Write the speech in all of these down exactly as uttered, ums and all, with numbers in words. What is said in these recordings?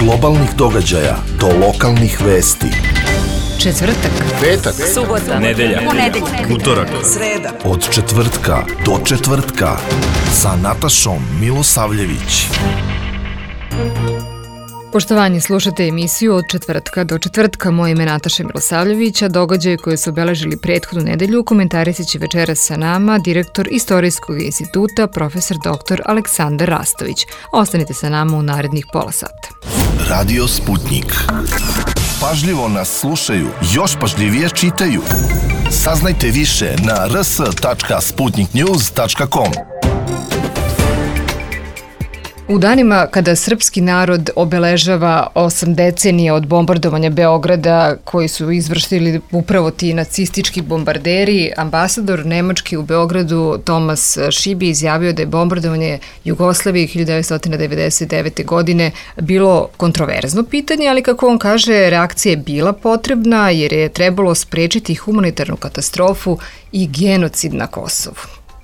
globalnih događaja do lokalnih vesti. Četvrtak, petak, subota, nedelja, ponedeljak, utorak, sreda. Od četvrtka do četvrtka sa Natašom Milosavljević. Poštovanje, slušate emisiju Od četvrtka do četvrtka. Moje ime Nataša Milosavljević, a događaje koje su obeležili prethodnu nedelju komentarisat će večeras sa nama direktor Istorijskog instituta, profesor doktor Aleksandar Rastović. Ostanite sa nama u narednih pola sata. Radio Sputnik. Pažljivo nas slušaju, još pažljivije čitaju. Saznajte više na r s tačka sputnik news tačka com. U danima kada srpski narod obeležava osam decenija od bombardovanja Beograda koji su izvršili upravo ti nacistički bombarderi, ambasador Nemački u Beogradu Tomas Šibi izjavio da je bombardovanje Jugoslavije hiljadu devetsto devedeset devete. godine bilo kontroverzno pitanje, ali kako on kaže, reakcija je bila potrebna jer je trebalo sprečiti humanitarnu katastrofu i genocid na Kosovu.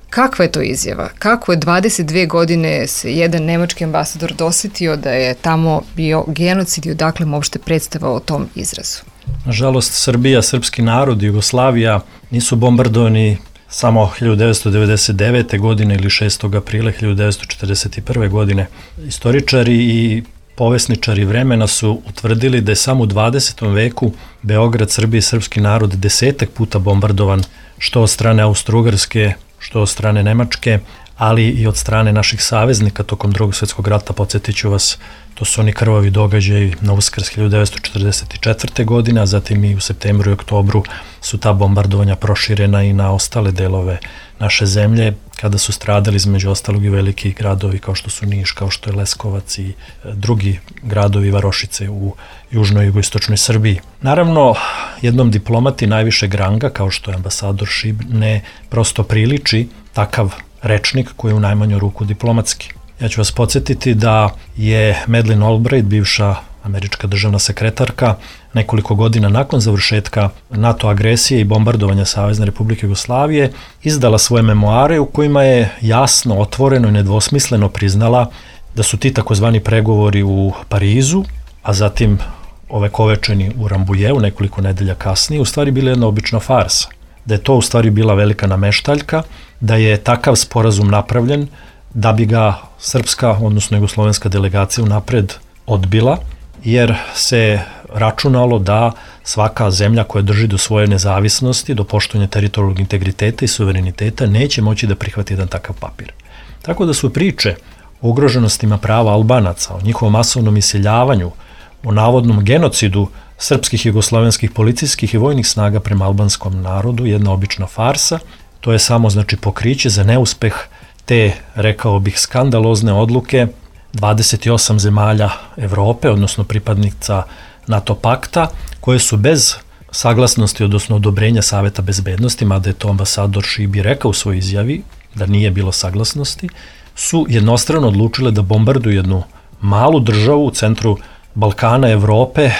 Kakva je to izjava? Kako je dvadeset dve godine se jedan nemački ambasador dosetio da je tamo bio genocid i odakle mu uopšte predstava o tom izrazu? Nažalost, Srbija, srpski narod, Jugoslavija nisu bombardovani samo hiljadu devetsto devedeset devete. godine ili šestog aprila hiljadu devetsto četrdeset prve. godine. Istoričari i povesničari vremena su utvrdili da je samo u dvadesetom veku Beograd, Srbija i srpski narod desetak puta bombardovan, što od strane Austro-Ugarske, što od strane Nemačke, ali i od strane naših saveznika tokom Drugog svjetskog rata. Podsjetit ću vas, to su oni krvavi događaji na Uskrs hiljadu devetsto četrdeset četvrte. godine, a zatim i u septembru i oktobru su ta bombardovanja proširena i na ostale delove naše zemlje, kada su stradali između ostalog i veliki gradovi kao što su Niš, kao što je Leskovac i drugi gradovi Varošice u južnoj i jugoistočnoj Srbiji. Naravno, jednom diplomati najvišeg ranga, kao što je ambasador Šib, ne prosto priliči takav rečnik koji je u najmanju ruku diplomatski. Ja ću vas podsjetiti da je Madeleine Albright, bivša američka državna sekretarka, nekoliko godina nakon završetka NATO agresije i bombardovanja Savezne Republike Jugoslavije izdala svoje memoare u kojima je jasno, otvoreno i nedvosmisleno priznala da su ti takozvani pregovori u Parizu, a zatim ovekovečeni u Rambujeu nekoliko nedelja kasnije, u stvari bila jedna obična farsa. Da je to u stvari bila velika nameštaljka, da je takav sporazum napravljen da bi ga srpska, odnosno jugoslovenska delegacija unapred odbila, jer se računalo da svaka zemlja koja drži do svoje nezavisnosti, do poštovanja teritorijalnog integriteta i suvereniteta, neće moći da prihvati jedan takav papir. Tako da su priče o ugroženostima prava Albanaca, o njihovom masovnom iseljavanju, o navodnom genocidu srpskih i jugoslovenskih policijskih i vojnih snaga prema albanskom narodu jedna obična farsa. To je samo znači pokriće za neuspeh te, rekao bih, skandalozne odluke dvadeset osam zemalja Evrope, odnosno pripadnica NATO pakta, koje su bez saglasnosti, odnosno odobrenja Saveta bezbednosti, mada je to ambasador Šibi rekao u svojoj izjavi da nije bilo saglasnosti, su jednostrano odlučile da bombarduju jednu malu državu u centru Balkana, Evrope,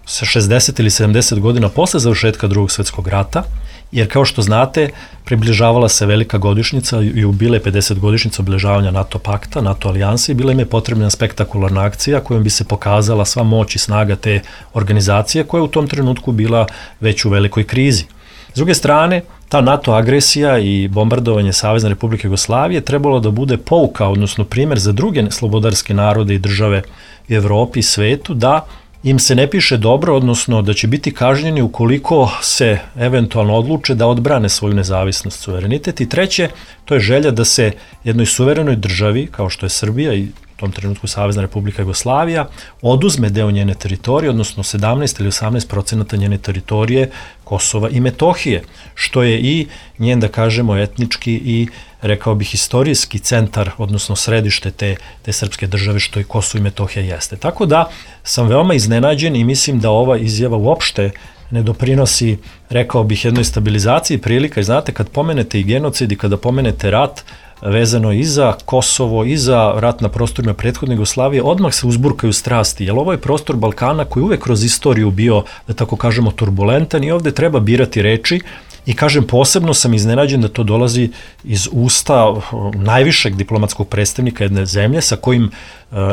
sa šezdeset ili sedamdeset godina posle završetka Drugog svjetskog rata, jer kao što znate, približavala se velika godišnjica i ubile pedeset godišnjica obilježavanja NATO pakta, NATO alijanse i bila im je potrebna spektakularna akcija kojom bi se pokazala sva moć i snaga te organizacije koja je u tom trenutku bila već u velikoj krizi. S druge strane, ta NATO agresija i bombardovanje Savezne Republike Jugoslavije trebalo da bude pouka, odnosno primjer za druge slobodarske narode i države u Evropi i svetu, da im se ne piše dobro, odnosno da će biti kažnjeni ukoliko se eventualno odluče da odbrane svoju nezavisnost, suverenitet. I treće, to je želja da se jednoj suverenoj državi, kao što je Srbija i u tom trenutku Savezna Republika Jugoslavija, oduzme deo njene teritorije, odnosno sedamnaest ili osamnaest procenata njene teritorije Kosova i Metohije, što je i njen, da kažemo, etnički i, rekao bih, istorijski centar, odnosno središte te, te srpske države, što i Kosovo i Metohija jeste. Tako da sam veoma iznenađen i mislim da ova izjava uopšte ne doprinosi, rekao bih, jednoj stabilizaciji prilika. I znate, kad pomenete i genocid i kada pomenete rat, vezano i za Kosovo i za rat na prostorima prethodne Jugoslavije, odmah se uzburkaju strasti, jer ovo je prostor Balkana koji uvek kroz istoriju bio, da tako kažemo, turbulentan i ovde treba birati reči I kažem, posebno sam iznenađen da to dolazi iz usta najvišeg diplomatskog predstavnika jedne zemlje sa kojim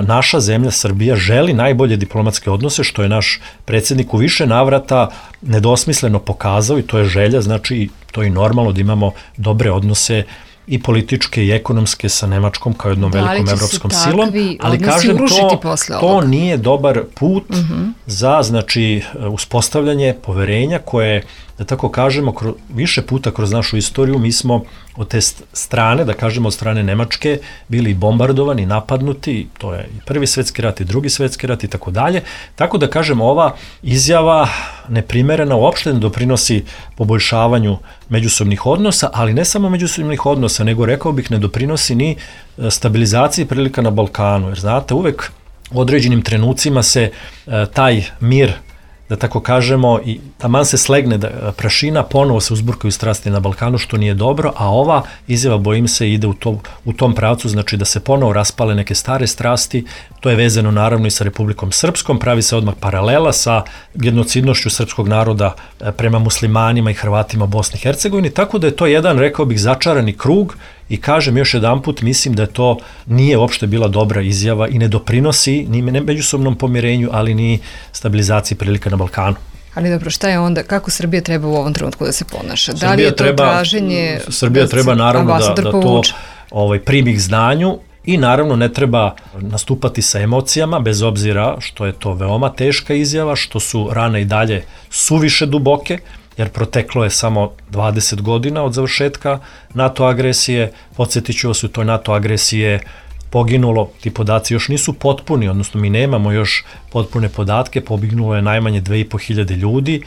naša zemlja Srbija želi najbolje diplomatske odnose, što je naš predsjednik u više navrata nedosmisleno pokazao i to je želja, znači to je i normalno da imamo dobre odnose i političke i ekonomske sa Nemačkom kao jednom velikom evropskom silom, ali kažem to, to nije dobar put uh-huh. za znači uspostavljanje poverenja koje, da tako kažemo, kro, više puta kroz našu istoriju mi smo od te strane, da kažemo od strane Nemačke, bili bombardovani, napadnuti, to je i prvi svetski rat i drugi svetski rat i tako dalje, tako da kažem ova izjava neprimerena uopšte ne doprinosi poboljšavanju međusobnih odnosa, ali ne samo međusobnih odnosa, nego rekao bih ne doprinosi ni stabilizaciji prilika na Balkanu, jer znate, uvek u određenim trenucima se e, taj mir, da tako kažemo, i taman se slegne da prašina, ponovo se uzburkaju strasti na Balkanu, što nije dobro, a ova izjava, bojim se, ide u, to, u tom pravcu, znači da se ponovo raspale neke stare strasti, to je vezano naravno i sa Republikom Srpskom, pravi se odmah paralela sa genocidnošću srpskog naroda prema muslimanima i Hrvatima u Bosni i Hercegovini, tako da je to jedan, rekao bih, začarani krug. I kažem još jedanput, mislim da to nije uopšte bila dobra izjava i ne doprinosi ni međusobnom pomirenju, ali ni stabilizaciji prilika na Balkanu. Ali dobro, šta je onda, kako Srbija treba u ovom trenutku da se ponaša? Da li je to treba, traženje... Srbija da treba naravno da, da to ovaj, primi k znanju i naravno ne treba nastupati sa emocijama, bez obzira što je to veoma teška izjava, što su rane i dalje suviše duboke, jer proteklo je samo dvadeset godina od završetka NATO agresije. Podsjetit ću vas, u toj NATO agresije poginulo, ti podaci još nisu potpuni, odnosno mi nemamo još potpune podatke, poginulo je najmanje dve i po hiljade ljudi,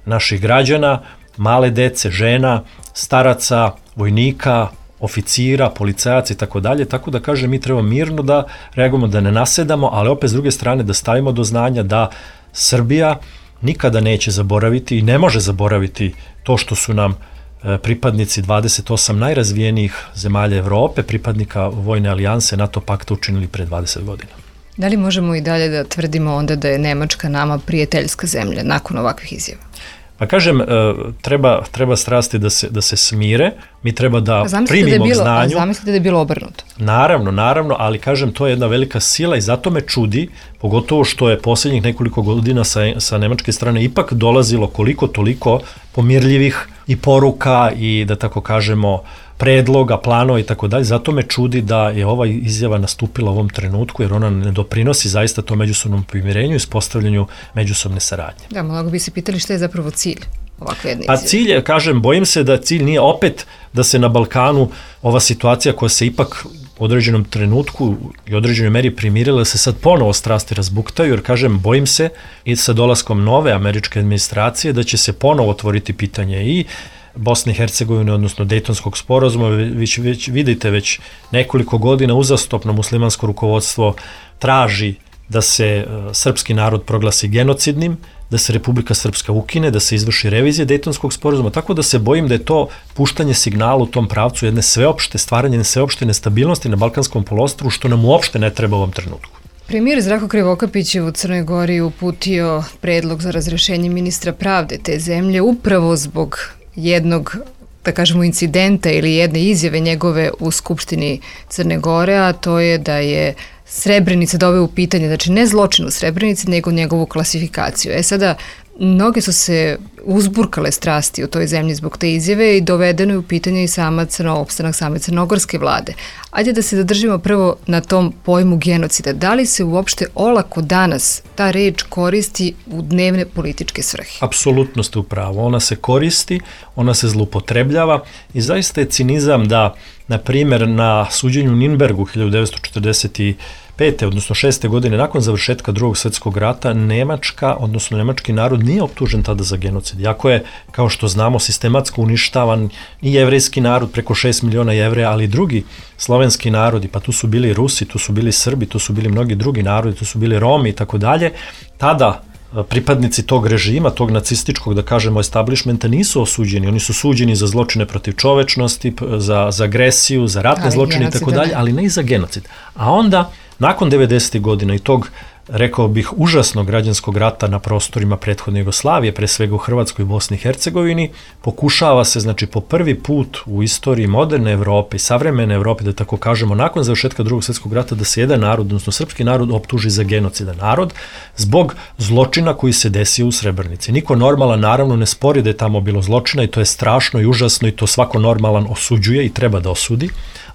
naših građana, male dece, žena, staraca, vojnika, oficira, policajaca i tako dalje, tako da kažem, mi treba mirno da reagujemo, da ne nasedamo, ali opet s druge strane da stavimo do znanja da Srbija nikada neće zaboraviti i ne može zaboraviti to što su nam pripadnici dvadeset osam najrazvijenijih zemalja Evrope, pripadnika vojne alijanse NATO pakta učinili pre dvadeset godina. Da li možemo i dalje da tvrdimo onda da je Nemačka nama prijateljska zemlja nakon ovakvih izjava? Pa kažem, treba, treba strasti da se, da se smire, mi treba da primimo k znanju. A zamislite da je bilo obrnuto? Naravno, naravno, ali kažem, to je jedna velika sila i zato me čudi, pogotovo što je posljednjih nekoliko godina sa, sa nemačke strane ipak dolazilo koliko toliko pomirljivih i poruka i, da tako kažemo, predloga, planova i tako dalje. Zato me čudi da je ova izjava nastupila u ovom trenutku, jer ona ne doprinosi zaista to međusobnom pomirenju i uspostavljanju međusobne saradnje. Da, mnogo bi se pitali šta je zapravo cilj ovakve jedne izjave. Pa cilj je, kažem, bojim se da cilj nije opet da se na Balkanu ova situacija koja se ipak u određenom trenutku i određenoj meri primirila, se sad ponovo strasti razbuktaju, jer kažem, bojim se i sa dolaskom nove američke administracije da će se ponovo otvoriti pitanje i Bosne i Hercegovine, odnosno Dejtonskog sporazuma. Već, već vidite, već nekoliko godina uzastopno muslimansko rukovodstvo traži da se uh, srpski narod proglasi genocidnim, da se Republika Srpska ukine, da se izvrši revizija Dejtonskog sporazuma, tako da se bojim da je to puštanje signala u tom pravcu jedne sveopšte, stvaranje sveopšte nestabilnosti na Balkanskom poluostrvu, što nam uopšte ne treba u ovom trenutku. Premijer Zdravko Krivokapić je u Crnoj Gori uputio predlog za razrešenje ministra pravde te zemlje upravo zbog jednog, da kažemo, incidenta ili jedne izjave njegove u Skupštini Crne Gore, a to je da je Srebrenica doveo u pitanje, znači ne zločin u Srebrenici, nego njegovu klasifikaciju. E sada, mnoge su se uzburkale strasti u toj zemlji zbog te izjave i dovedeno je u pitanje i sama crno, opstanak same crnogorske vlade. Ajde da se zadržimo prvo na tom pojmu genocida. Da li se uopšte olako danas ta reč koristi u dnevne političke svrhe? Apsolutno ste u pravu. Ona se koristi, ona se zloupotrebljava i zaista je cinizam da, na primjer, na suđenju u Nürnbergu hiljadu devetsto četrdeset pete odnosno šeste godine nakon završetka drugog svjetskog rata, Nemačka, odnosno nemački narod nije optužen tada za genocid. Iako je, kao što znamo, sistematsko uništavan i jevrejski narod, preko šest miliona Jevreja, ali i drugi slovenski narodi, pa tu su bili Rusi, tu su bili Srbi, tu su bili mnogi drugi narodi, tu su bili Romi i tako dalje. Tada pripadnici tog režima, tog nacističkog, da kažemo, establishmenta nisu osuđeni. Oni su suđeni za zločine protiv čovečnosti, za, za agresiju, za ratne ali zločine i tako dalje, ali ne i za genocid. A onda nakon devedesetih godina i tog, rekao bih, užasnog građanskog rata na prostorima prethodne Jugoslavije, pre svega u Hrvatskoj i Bosni i Hercegovini, pokušava se, znači, po prvi put u istoriji moderne Evrope i savremene Evrope, da tako kažemo, nakon završetka Drugog svjetskog rata, da se jedan narod, odnosno srpski narod, optuži za genocidan narod zbog zločina koji se desio u Srebrenici. Niko normalan, naravno, ne spori da je tamo bilo zločina i to je strašno i užasno i to svako normalan osuđuje i treba da osudi,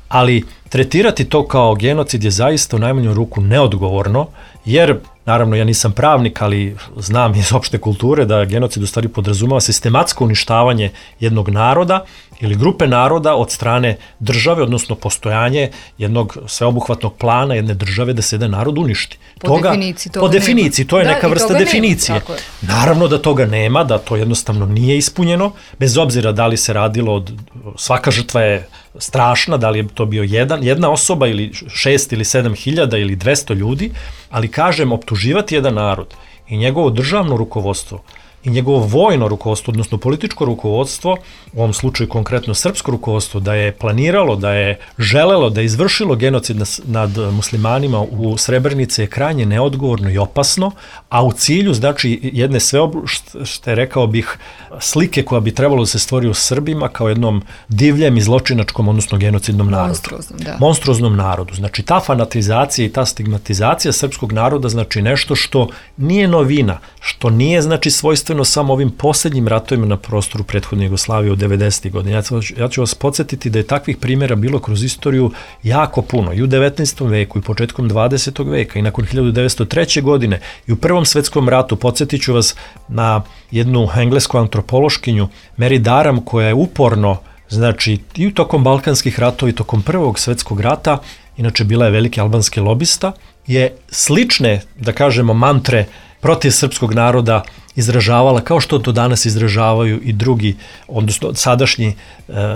ali tretirati to kao genocid je zaista u najmanju ruku neodgovorno, jer, naravno, ja nisam pravnik, ali znam iz opšte kulture da genocid u stvari podrazumeva sistematsko uništavanje jednog naroda ili grupe naroda od strane države, odnosno postojanje jednog sveobuhvatnog plana jedne države da se jedan narod uništi. Po toga, definiciji toga Po definiciji, to je da, neka vrsta definicije. Nema, naravno da toga nema, da to jednostavno nije ispunjeno, bez obzira da li se radilo od, svaka žrtva je strašna, da li je to bio jedan, jedna osoba ili šest ili sedam hiljada ili dvesta ljudi, ali kažem, optuživati jedan narod i njegovo državno rukovodstvo i njegovo vojno rukovodstvo, odnosno političko rukovodstvo, u ovom slučaju konkretno srpsko rukovodstvo, da je planiralo, da je želelo, da je izvršilo genocid nad muslimanima u Srebrenici je krajnje neodgovorno i opasno, a u cilju, znači, jedne sveobušte, rekao bih, slike koja bi trebalo da se stvori u Srbima kao jednom divljem i zločinačkom, odnosno genocidnom narodu. Monstruoznom, da. Monstruoznom narodu. Znači, ta fanatizacija i ta stigmatizacija srpskog naroda, znači, nešto što nije novina, što nije, znači, svojstveno samo ovim posljednjim ratovima na prostoru prethodne Jugoslavije u devedesetih godina. Ja ću, ja ću vas podsjetiti da je takvih primjera bilo kroz istoriju jako puno. I u devetnaestom veku i početkom dvadesetog veka i nakon hiljadu devetsto treće. godine i u Prvom svjetskom ratu. Podsjetit ću vas na jednu englesku antropološkinju Mary Daram koja je uporno, znači, i u tokom Balkanskih ratova i tokom Prvog svjetskog rata, inače bila je veliki albanski lobista, je slične, da kažemo, mantre protiv srpskog naroda izražavala kao što to danas izražavaju i drugi, odnosno sadašnji e,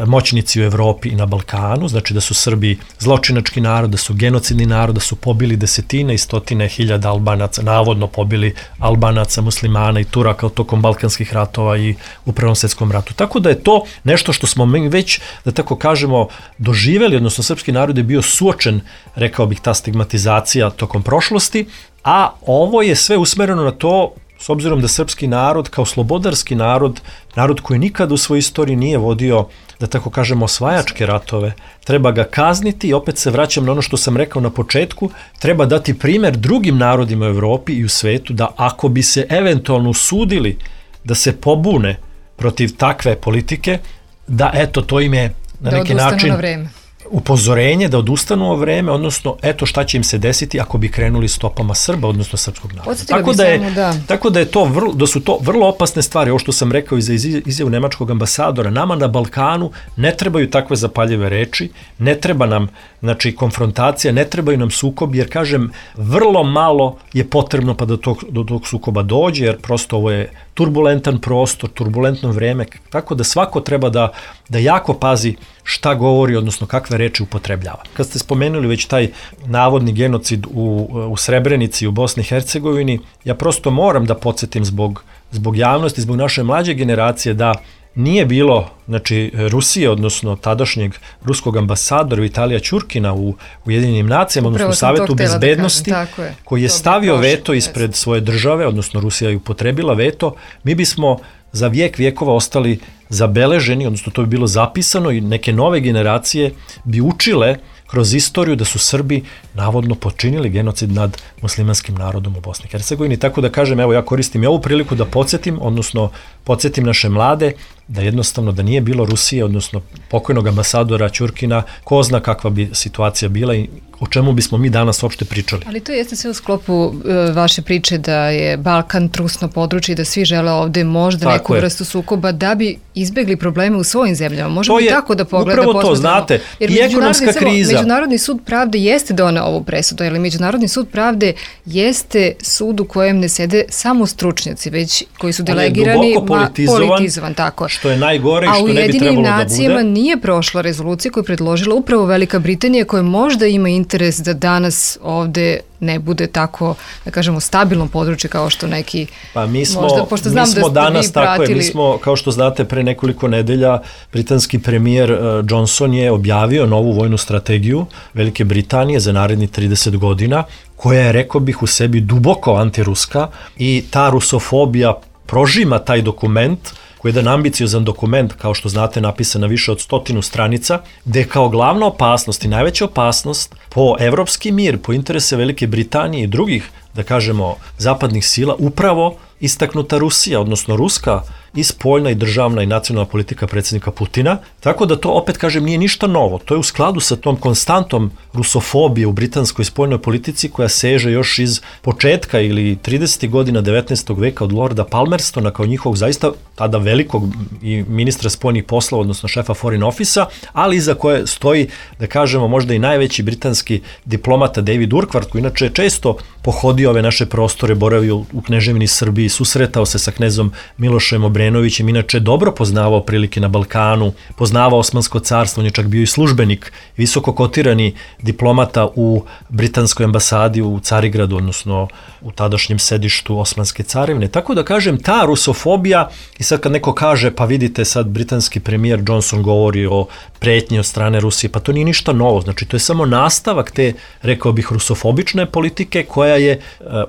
moćnici u Evropi i na Balkanu, znači da su Srbi zločinački narod, da su genocidni narod, da su pobili desetine i stotine hiljada Albanaca, navodno pobili Albanaca, muslimana i Turaka tokom Balkanskih ratova i u Prvom svjetskom ratu. Tako da je to nešto što smo mi već, da tako kažemo, doživjeli, odnosno srpski narod je bio suočen, rekao bih, ta stigmatizacija tokom prošlosti, a ovo je sve usmereno na to, s obzirom da srpski narod kao slobodarski narod, narod koji nikad u svojoj istoriji nije vodio, da tako kažemo, osvajačke ratove, treba ga kazniti i opet se vraćam na ono što sam rekao na početku, treba dati primjer drugim narodima u Evropi i u svetu da ako bi se eventualno usudili da se pobune protiv takve politike, da eto to im je na neki način upozorenje da odustanu o vreme, odnosno eto šta će im se desiti ako bi krenuli stopama Srba, odnosno srpskog naroda. Tako da, je, da. tako da, je to vrlo, da su to vrlo opasne stvari, ovo što sam rekao i za izjavu nemačkog ambasadora, nama na Balkanu ne trebaju takve zapaljive reči, ne treba nam, znači, konfrontacija, ne trebaju nam sukobi, jer kažem, vrlo malo je potrebno pa da tog, do tog sukoba dođe, jer prosto ovo je turbulentan prostor, turbulentno vreme, tako da svako treba da, da jako pazi šta govori, odnosno kakve reči upotrebljava. Kad ste spomenuli već taj navodni genocid u, u Srebrenici u Bosni i Hercegovini, ja prosto moram da podsjetim zbog, zbog javnosti, zbog naše mlađe generacije da nije bilo, znači, Rusije, odnosno tadašnjeg ruskog ambasadora Vitalija Ćurkina u Ujedinjenim nacijama, odnosno Savetu bezbednosti, je. koji je stavio prošlo, veto ispred svoje države, odnosno Rusija je upotrebila veto, mi bismo za vijek vijekova ostali zabeleženi, odnosno to bi bilo zapisano i neke nove generacije bi učile kroz istoriju da su Srbi navodno počinili genocid nad muslimanskim narodom u Bosni i Hercegovini. Tako da kažem, evo ja koristim i ovu priliku da podsjetim, odnosno podsjetim naše mlade da jednostavno da nije bilo Rusije, odnosno pokojnog ambasadora Ćurkina, ko zna kakva bi situacija bila i o čemu bismo mi danas uopšte pričali. Ali to jeste sve u sklopu e, vaše priče da je Balkan trusno područje i da svi žele ovde možda tako neku je. vrstu sukoba da bi izbegli probleme u svojim zemljama. Možemo i tako da pogledamo. Upravo to, znate, jer i ekonomska kriza. Međunarodni sud pravde jeste doneo ovu presudu, ali Međunarodni sud pravde jeste sud u kojem ne sede samo stručnjaci, već koji su delegirani, politizovan, politizovan, tako. Što je najgore i što ne bi trebalo da bude. A u Ujedinjenim nacijama nije prošla rezolucija koju je predložila upravo Velika Britanija, koja možda ima interes da danas ovde ne bude tako, da kažemo, stabilno područje kao što neki pa mi smo, možda, pošto znam mi smo da ste danas, vi pratili. Tako je, mi smo, kao što znate, pre nekoliko nedelja britanski premijer uh, Johnson je objavio novu vojnu strategiju Velike Britanije za narednih trideset godina, koja je, rekao bih, u sebi duboko antiruska i ta rusofobija prožima taj dokument, koji je jedan ambiciozan dokument, kao što znate, napisan na više od stotinu stranica, gde je kao glavna opasnost i najveća opasnost po evropski mir, po interese Velike Britanije i drugih, da kažemo, zapadnih sila, upravo istaknuta Rusija, odnosno ruska i spoljna i državna i nacionalna politika predsjednika Putina, tako da to, opet kažem, nije ništa novo. To je u skladu sa tom konstantom rusofobije u britanskoj spoljnoj politici koja seže još iz početka ili tridesetih godina devetnaestog veka od Lorda Palmerstona kao njihovog zaista tada velikog i ministra spoljnih poslova, odnosno šefa Foreign Office-a, ali iza koje stoji, da kažemo, možda i najveći britanski diplomata David Urquhart, koji inače često pohodio ove naše prostore, boravio u Kneževini Srbiji, susretao se sa knezom Milošem Obrenovićem, inače dobro poznavao prilike na Balkanu, poznavao Osmansko carstvo, on je čak bio i službenik, visoko kotirani diplomata u britanskoj ambasadi u Carigradu, odnosno u tadašnjem sedištu Osmanske carevine. Tako da kažem, ta rusofobija, i sad kad neko kaže, pa vidite sad britanski premijer Johnson govori o pretnji od strane Rusije, pa to nije ništa novo, znači to je samo nastavak te, rekao bih, rusofobične politike koja je e,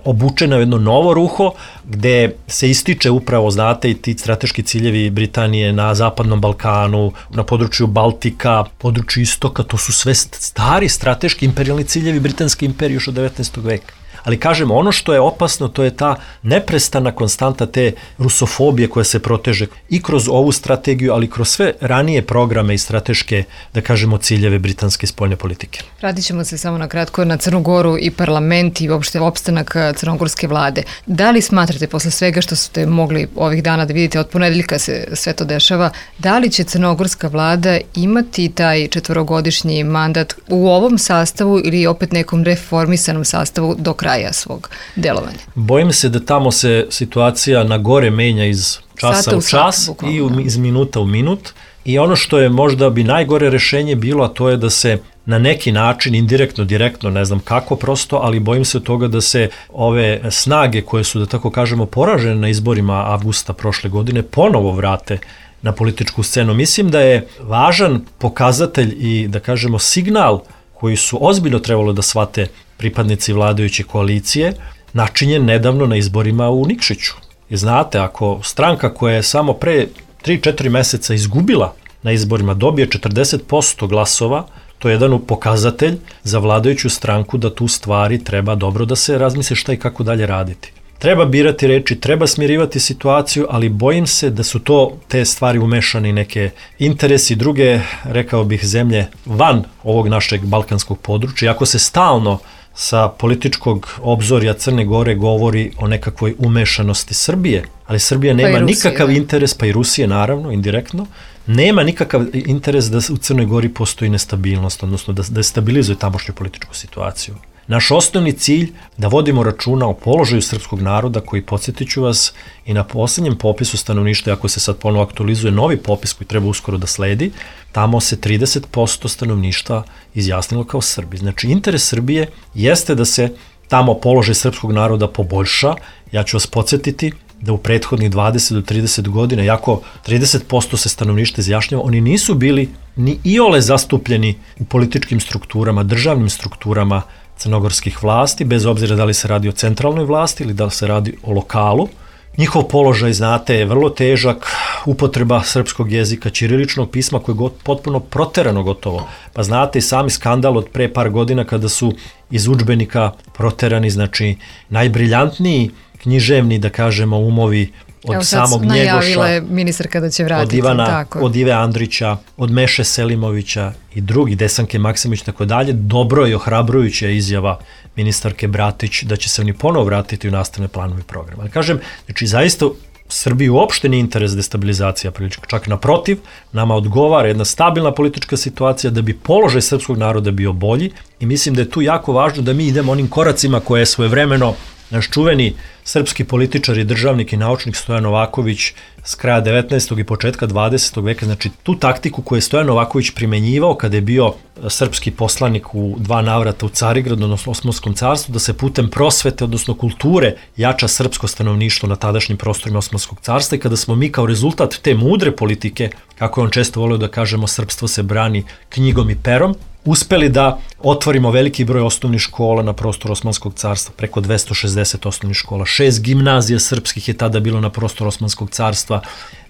obučena u jedno novo ruho, gde se ističe upravo, znate, i ti strateški ciljevi Britanije na Zapadnom Balkanu, na području Baltika, području Istoka, to su sve stari strateški imperijalni ciljevi Britanske imperije još od devetnaestog veka. Ali kažem, ono što je opasno, to je ta neprestana konstanta te rusofobije koja se proteže i kroz ovu strategiju, ali kroz sve ranije programe i strateške, da kažemo, ciljeve britanske spoljne politike. Vratit ćemo se samo na kratko na Crnu Goru i parlament i uopšte opstanak crnogorske vlade. Da li smatrate, posle svega što ste mogli ovih dana da vidite, od ponedeljka se sve to dešava, da li će crnogorska vlada imati taj četvorogodišnji mandat u ovom sastavu ili opet nekom reformisanom sastavu do kraja svog delovanja? Bojim se da tamo se situacija na gore menja iz časa Sata u u čas sat, i u, iz minuta u minut. I ono što je možda bi najgore rešenje bilo, a to je da se na neki način, indirektno, direktno, ne znam kako prosto, ali bojim se toga da se ove snage koje su, da tako kažemo, poražene na izborima avgusta prošle godine, ponovo vrate na političku scenu. Mislim da je važan pokazatelj i, da kažemo, signal koji su ozbiljno trebalo da shvate pripadnici vladajuće koalicije, načinjen nedavno na izborima u Nikšiću. I znate, ako stranka koja je samo pre tri četiri meseca izgubila na izborima dobije četrdeset posto glasova, to je jedan pokazatelj za vladajuću stranku da tu stvari treba dobro da se razmisli šta i kako dalje raditi. Treba birati reči, treba smirivati situaciju, ali bojim se da su to te stvari umešane neke interesi druge, rekao bih, zemlje van ovog našeg balkanskog područja. Ako se stalno sa političkog obzorja Crne Gore govori o nekakvoj umešanosti Srbije, ali Srbija nema pa nikakav interes, pa i Rusije naravno, indirektno, nema nikakav interes da u Crnoj Gori postoji nestabilnost, odnosno da destabilizuje tamošnju političku situaciju. Naš osnovni cilj da vodimo računa o položaju srpskog naroda koji, podsjetit ću vas, i na poslednjem popisu stanovništva, ako se sad ponovo aktualizuje novi popis koji treba uskoro da sledi, tamo se trideset posto stanovništva izjasnilo kao Srbi. Znači, interes Srbije jeste da se tamo položaj srpskog naroda poboljša. Ja ću vas podsjetiti da u prethodnih dvadeset do trideset godina, jako trideset posto se stanovništva izjašnjava, oni nisu bili ni iole zastupljeni u političkim strukturama, državnim strukturama crnogorskih vlasti, bez obzira da li se radi o centralnoj vlasti ili da se radi o lokalu. Njihov položaj, znate, je vrlo težak, upotreba srpskog jezika, ćiriličnog pisma koje je potpuno proterano gotovo. Pa znate i sami skandal od pre par godina kada su iz udžbenika proterani, znači, najbriljantniji književni, da kažemo, umovi od Evo, samog Njegoša, najavila je ministarka da će vratiti, od Ivana, tako. Od Ive Andrića, od Meše Selimovića i drugi, Desanke Maksimović, tako dalje. Dobro i ohrabrujuća izjava ministarke Bratić da će se oni ponovo vratiti u nastavne planove programa. Ali kažem, znači zaista Srbiji uopšte nije interes destabilizacija politička, čak naprotiv, nama odgovara jedna stabilna politička situacija da bi položaj srpskog naroda bio bolji i mislim da je tu jako važno da mi idemo onim koracima koje je svojevremeno Naš čuveni srpski političar i državnik i naučnik Stojan Novaković s kraja devetnaestog i početka dvadesetog veka, znači tu taktiku koju je Stojan Novaković primenjivao kada je bio srpski poslanik u dva navrata u Carigradu, odnosno Osmanskom carstvu, da se putem prosvete, odnosno kulture, jača srpsko stanovništvo na tadašnjim prostorima Osmanskog carstva i kada smo mi kao rezultat te mudre politike, kako je on često volio da kažemo, srpstvo se brani knjigom i perom, uspeli da otvorimo veliki broj osnovnih škola na prostoru Osmanskog carstva, preko dvesta šezdeset osnovnih škola, šest gimnazija srpskih je tada bilo na prostoru Osmanskog carstva,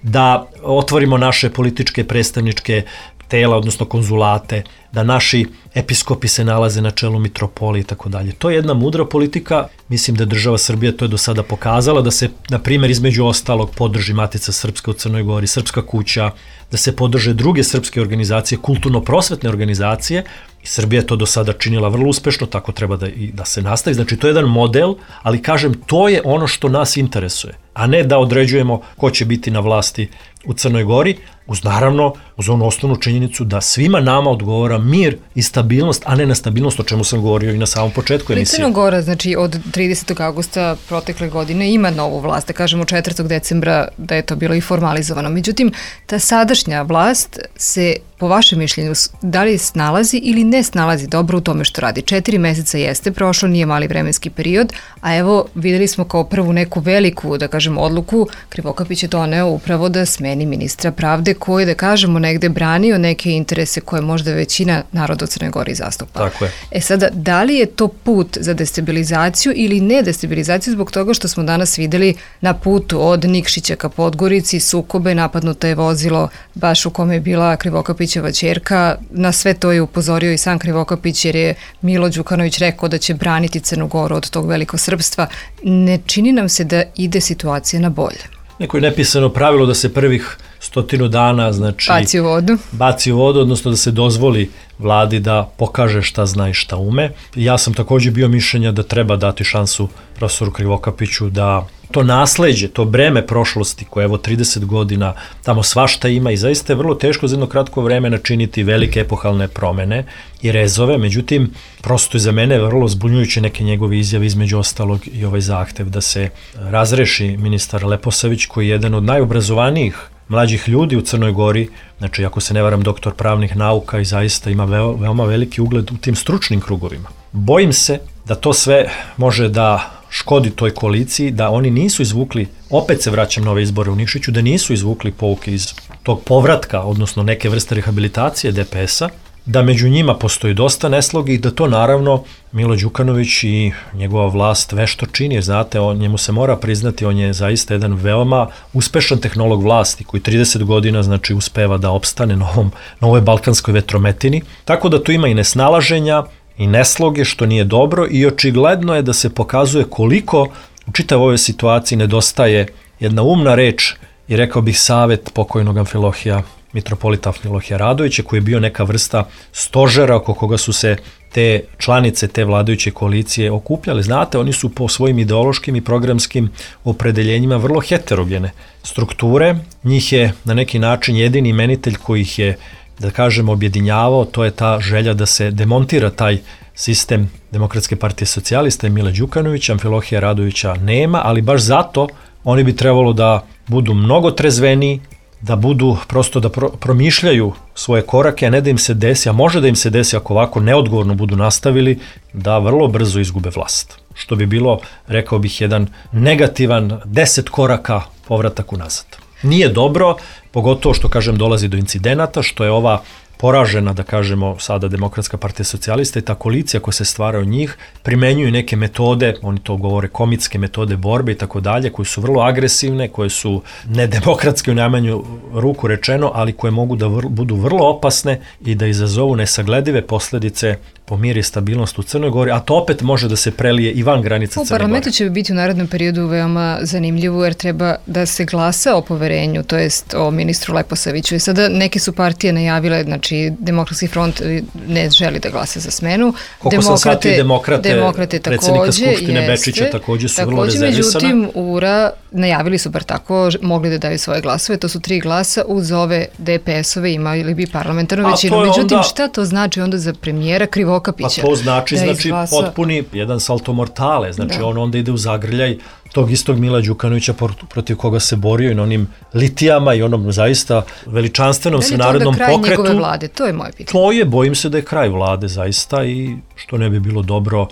da otvorimo naše političke predstavničke tela, odnosno konzulate, da naši episkopi se nalaze na čelu mitropolije i tako dalje. To je jedna mudra politika, mislim da država Srbija to je do sada pokazala, da se, na primjer, između ostalog podrži Matica Srpska u Crnoj Gori, Srpska kuća, da se podrže druge srpske organizacije, kulturno-prosvetne organizacije, i Srbija je to do sada činila vrlo uspešno, tako treba da, i da se nastavi. Znači, to je jedan model, ali kažem, to je ono što nas interesuje, a ne da određujemo ko će biti na vlasti u Crnoj Gori, uz naravno, uz onu osnovnu činjenicu da svima nama odgovara mir i stabilnost, a ne na stabilnost, o čemu sam govorio i na samom početku emisije. Crna Gora, znači od tridesetog avgusta protekle godine ima novu vlast, da kažemo četvrtog decembra da je to bilo i formalizovano. Međutim, ta sadašnja vlast se, po vašem mišljenju, da li snalazi ili ne snalazi dobro u tome što radi? Četiri meseca jeste prošlo, nije mali vremenski period, a evo videli smo kao prvu neku veliku, da kažemo, odluku, Krivokapić je doneo upravo da smeni ministra pravde koji, da kažemo, negde branio neke interese koje možda većina naroda u Crnoj Gori zastupa. Tako je. E sada, da li je to put za destabilizaciju ili ne destabilizaciju zbog toga što smo danas videli na putu od Nikšića ka Podgorici, sukobe, napadnuto je vozilo baš u kome je bila Krivokapićeva ćerka, na sve to je upozorio i sam Krivokapić jer je Milo Đukanović rekao da će braniti Crnu Goru od tog velikosrpstva. Ne čini nam se da ide situacija na bolje. Neko je nepisano pravilo da se prvih stotinu dana, znači, baci u vodu. Baci u vodu, odnosno da se dozvoli vladi da pokaže šta zna i šta ume. Ja sam također bio mišljenja da treba dati šansu profesoru Krivokapiću da to nasleđe, to breme prošlosti koje evo trideset godina tamo svašta ima i zaista je vrlo teško za jedno kratko vreme načiniti velike epohalne promene i rezove, međutim prosto je za mene vrlo zbunjujuće neke njegove izjave, između ostalog i ovaj zahtev da se razreši ministar Leposavić koji je jedan od najobrazovanijih mlađih ljudi u Crnoj Gori, znači ako se ne varam doktor pravnih nauka i zaista ima veo, veoma veliki ugled u tim stručnim krugovima. Bojim se da to sve može da škodi toj koaliciji, da oni nisu izvukli, opet se vraćam na ove izbore u Nikšiću, da nisu izvukli pouke iz tog povratka, odnosno neke vrste rehabilitacije D P S-a, da među njima postoji dosta neslogi i da to naravno Milo Đukanović i njegova vlast vešto čini, jer znate, on, njemu se mora priznati, on je zaista jedan veoma uspešan tehnolog vlasti koji trideset godina znači uspeva da opstane na, ovom, na ovoj balkanskoj vetrometini, tako da tu ima i nesnalaženja i nesloge, što nije dobro i očigledno je da se pokazuje koliko u čitavoj ovoj situaciji nedostaje jedna umna reč i rekao bih savet pokojnog Amfilohija, mitropolita Amfilohija Radovića, koji je bio neka vrsta stožera oko koga su se te članice te vladajuće koalicije okupljale. Znate, oni su po svojim ideološkim i programskim opredeljenjima vrlo heterogene strukture. Njih je na neki način jedini imenitelj koji ih je, da kažem, objedinjavao, to je ta želja da se demontira taj sistem Demokratske partije socijalista i Mila Đukanovića. Amfilohija Radovića nema, ali baš zato oni bi trebalo da budu mnogo trezveniji, da budu prosto da pro, promišljaju svoje korake, a ne da im se desi, a može da im se desi ako ovako neodgovorno budu nastavili, da vrlo brzo izgube vlast. Što bi bilo, rekao bih, jedan negativan deset koraka povratak unazad. Nije dobro, pogotovo što, kažem, dolazi do incidenata, što je ova poražena, da kažemo, sada Demokratska partija socijalista i ta koalicija koja se stvara od njih, primenjuju neke metode, oni to govore komitske metode borbe i tako dalje, koje su vrlo agresivne, koje su nedemokratske u najmanju ruku rečeno, ali koje mogu da vr, budu vrlo opasne i da izazovu nesagledive posledice po mir i stabilnost u Crnoj Gori, a to opet može da se prelije i van granica Crne Gore. U parlamentu će biti u narednom periodu veoma zanimljivo jer treba da se glasa o poverenju, to jest o ministru Leposaviću. I sada neke su partije najavile, znači Demokratski front ne želi da glasa za smenu. Koliko sam shvatio, demokrate, demokrate predsjednika Skupštine jeste, Bečića takođe su takođe, vrlo rezervisana. Međutim, U R A najavili su bar tako, mogli da daju svoje glasove, to su tri glasa, uz ove D P S-ove imali bi parlamentarnu većinu. Međutim, onda, šta to znači onda za premijera Krivokapića? Pa to znači, da znači izglasa... potpuni jedan salto mortale, znači da. On onda ide u zagrljaj tog istog Mila Đukanovića protiv koga se borio i na onim litijama i onom zaista veličanstvenom svenarodnom pokretu. Da li je to onda kraj njegove vlade? To je moje pitanje. To je, bojim se da je kraj vlade zaista i što ne bi bilo dobro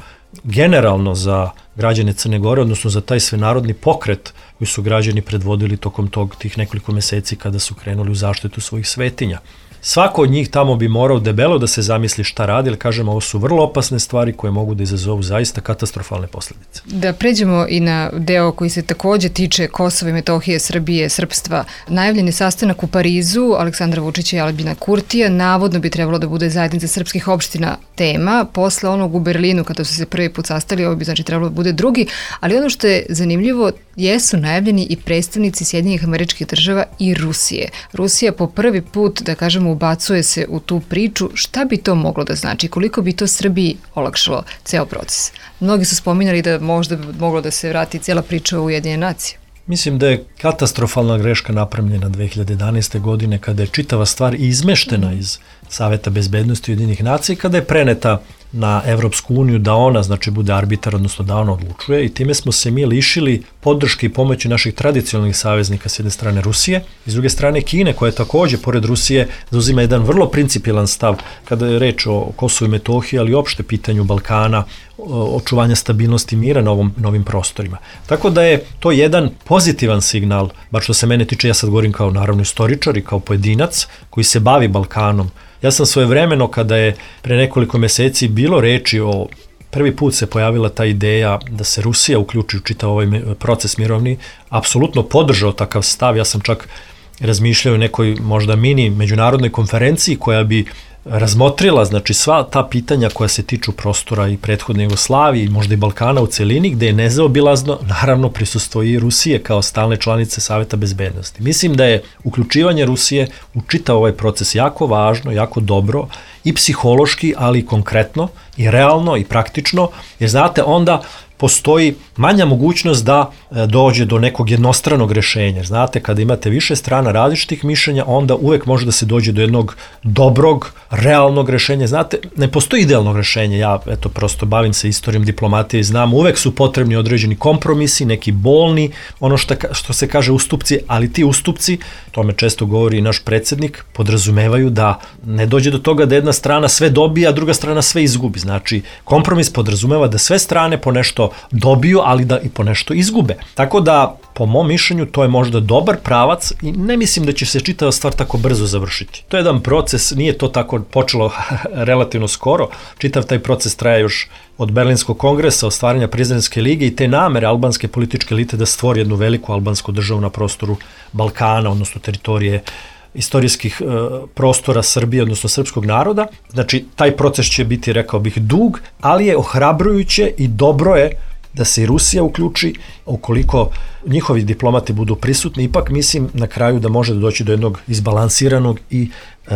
generalno za građane Crne Gore, odnosno za taj svenarodni pokret koji su građani predvodili tokom tog, tih nekoliko meseci kada su krenuli u zaštitu svojih svetinja. Svako od njih tamo bi morao debelo da se zamisli šta radi, ali kažem, ovo su vrlo opasne stvari koje mogu da izazovu zaista katastrofalne posledice. Da pređemo i na deo koji se takođe tiče Kosova i Metohije, Srbije, srpstva. Najavljen je sastanak u Parizu Aleksandra Vučića i Aljbina Kurtija. Navodno bi trebalo da bude zajednica srpskih opština tema. Posle onog u Berlinu, kada su se prvi put sastali, ovo bi znači trebalo da bude drugi. Ali ono što je zanimljivo, jesu najavljeni i predstavnici Sjedinjenih Američkih Država i Rusije. Rusija po prvi put, da kažemo, ubacuje se u tu priču. Šta bi to moglo da znači? Koliko bi to Srbiji olakšalo ceo proces? Mnogi su spominjali da možda bi moglo da se vrati cijela priča u Ujedinjene nacije. Mislim da je katastrofalna greška napravljena dve hiljade jedanaeste. godine kada je čitava stvar izmeštena iz Saveta bezbednosti Ujedinjenih nacija i kada je preneta na Evropsku uniju da ona, znači, bude arbitar, odnosno da ona odlučuje i time smo se mi lišili podrške i pomoći naših tradicionalnih saveznika s jedne strane Rusije i s druge strane Kine, koja je takođe, pored Rusije, zauzima jedan vrlo principijelan stav kada je reč o Kosovu i Metohiji, ali i opšte pitanju Balkana, očuvanja stabilnosti mira na, ovom, na ovim prostorima. Tako da je to jedan pozitivan signal, bar što se mene tiče, ja sad govorim kao naravno istoričar i kao pojedinac koji se bavi Balkanom. Ja sam svojevremeno, kada je pre nekoliko meseci bilo reči o, prvi put se pojavila ta ideja da se Rusija uključi u čitav ovaj proces mirovni, apsolutno podržao takav stav. Ja sam čak razmišljao o nekoj možda mini međunarodnoj konferenciji koja bi razmotrila, znači, sva ta pitanja koja se tiču prostora i prethodne Jugoslavije i možda i Balkana u celini, gde je nezaobilazno, naravno, prisustvo i Rusije kao stalne članice Saveta bezbednosti. Mislim da je uključivanje Rusije u čitav ovaj proces jako važno, jako dobro i psihološki, ali i konkretno i realno i praktično, jer znate, onda postoji manja mogućnost da dođe do nekog jednostranog rešenja. Znate, kada imate više strana različitih mišljenja, onda uvek može da se dođe do jednog dobrog, realnog rešenja. Znate, ne postoji idealnog rešenja. Ja, eto, prosto bavim se istorijom diplomatije i znam, uvek su potrebni određeni kompromisi, neki bolni, ono što, što se kaže ustupci, ali ti ustupci, to me često govori i naš predsednik, podrazumevaju da ne dođe do toga da jedna strana sve dobija, a druga strana sve izgubi. Znači, kompromis podrazumeva da sve strane po nešto dobiju, ali da i po nešto izgube. Tako da, po mom mišljenju, to je možda dobar pravac i ne mislim da će se čitava stvar tako brzo završiti. To je jedan proces, nije to tako počelo relativno skoro. Čitav taj proces traje još od Berlinskog kongresa, od stvaranja Prizrenske lige i te namere albanske političke elite da stvori jednu veliku albansku državu na prostoru Balkana, odnosno teritorije istorijskih e, prostora Srbije, odnosno srpskog naroda. Znači, taj proces će biti, rekao bih, dug, ali je ohrabrujuće i dobro je da se i Rusija uključi, ukoliko njihovi diplomati budu prisutni, ipak mislim na kraju da može da doći do jednog izbalansiranog i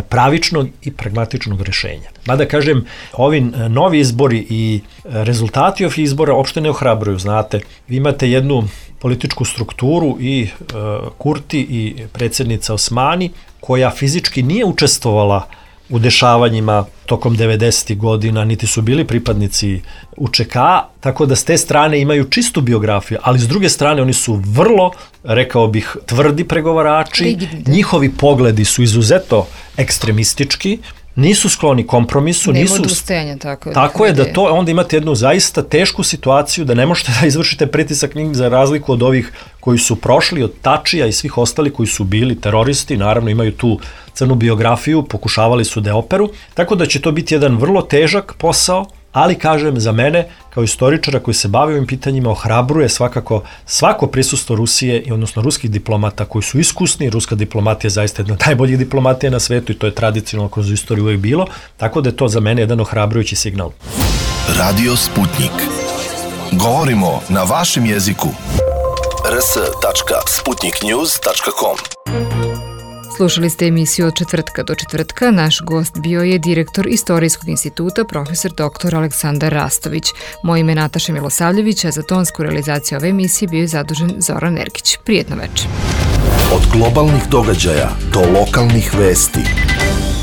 pravičnog i pragmatičnog rešenja. Mada kažem, ovi novi izbori i rezultati ovih izbora uopšte ne ohrabruju, znate. Vi imate jednu političku strukturu i e, Kurti i predsjednica Osmani, koja fizički nije učestvovala u dešavanjima tokom devedesetih godina, niti su bili pripadnici U Č K, tako da s te strane imaju čistu biografiju, ali s druge strane oni su vrlo, rekao bih, tvrdi pregovarači, rigidni. Njihovi pogledi su izuzetno ekstremistički, nisu skloni kompromisu, nema nisu... odustajanja, tako. Tako je da to, onda imate jednu zaista tešku situaciju da ne možete da izvršite pritisak njih za razliku od ovih koji su prošli, od Tačija i svih ostali koji su bili teroristi, naravno imaju tu crnu biografiju, pokušavali su da operu, tako da će to biti jedan vrlo težak posao, ali kažem, za mene, kao istoričara koji se bavi ovim pitanjima, ohrabruje svakako svako prisustvo Rusije i odnosno ruskih diplomata koji su iskusni. Ruska diplomatija je zaista jedna od najboljih diplomatija na svetu i to je tradicionalno kroz istoriju uvijek bilo, tako da je to za mene jedan ohrabrujući signal. Radio Sputnik. Govorimo na vašem jeziku. r s tačka sputnik news tačka com Slušali ste emisiju od četvrtka do četvrtka. Naš gost bio je direktor Istorijskog instituta, profesor doktor Aleksandar Rastović. Moje ime je Nataša Milosavljević, a za tonsku realizaciju ove emisije bio je zadužen Zoran Erkić. Prijetno večer. Od globalnih događaja do lokalnih vesti.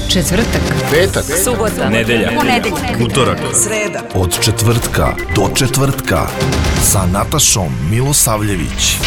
Četvrtak, Petak, subota, nedelja, ponedeljak, utorak, sreda. od četvrtka do četvrtka sa Natašom Milosavljević.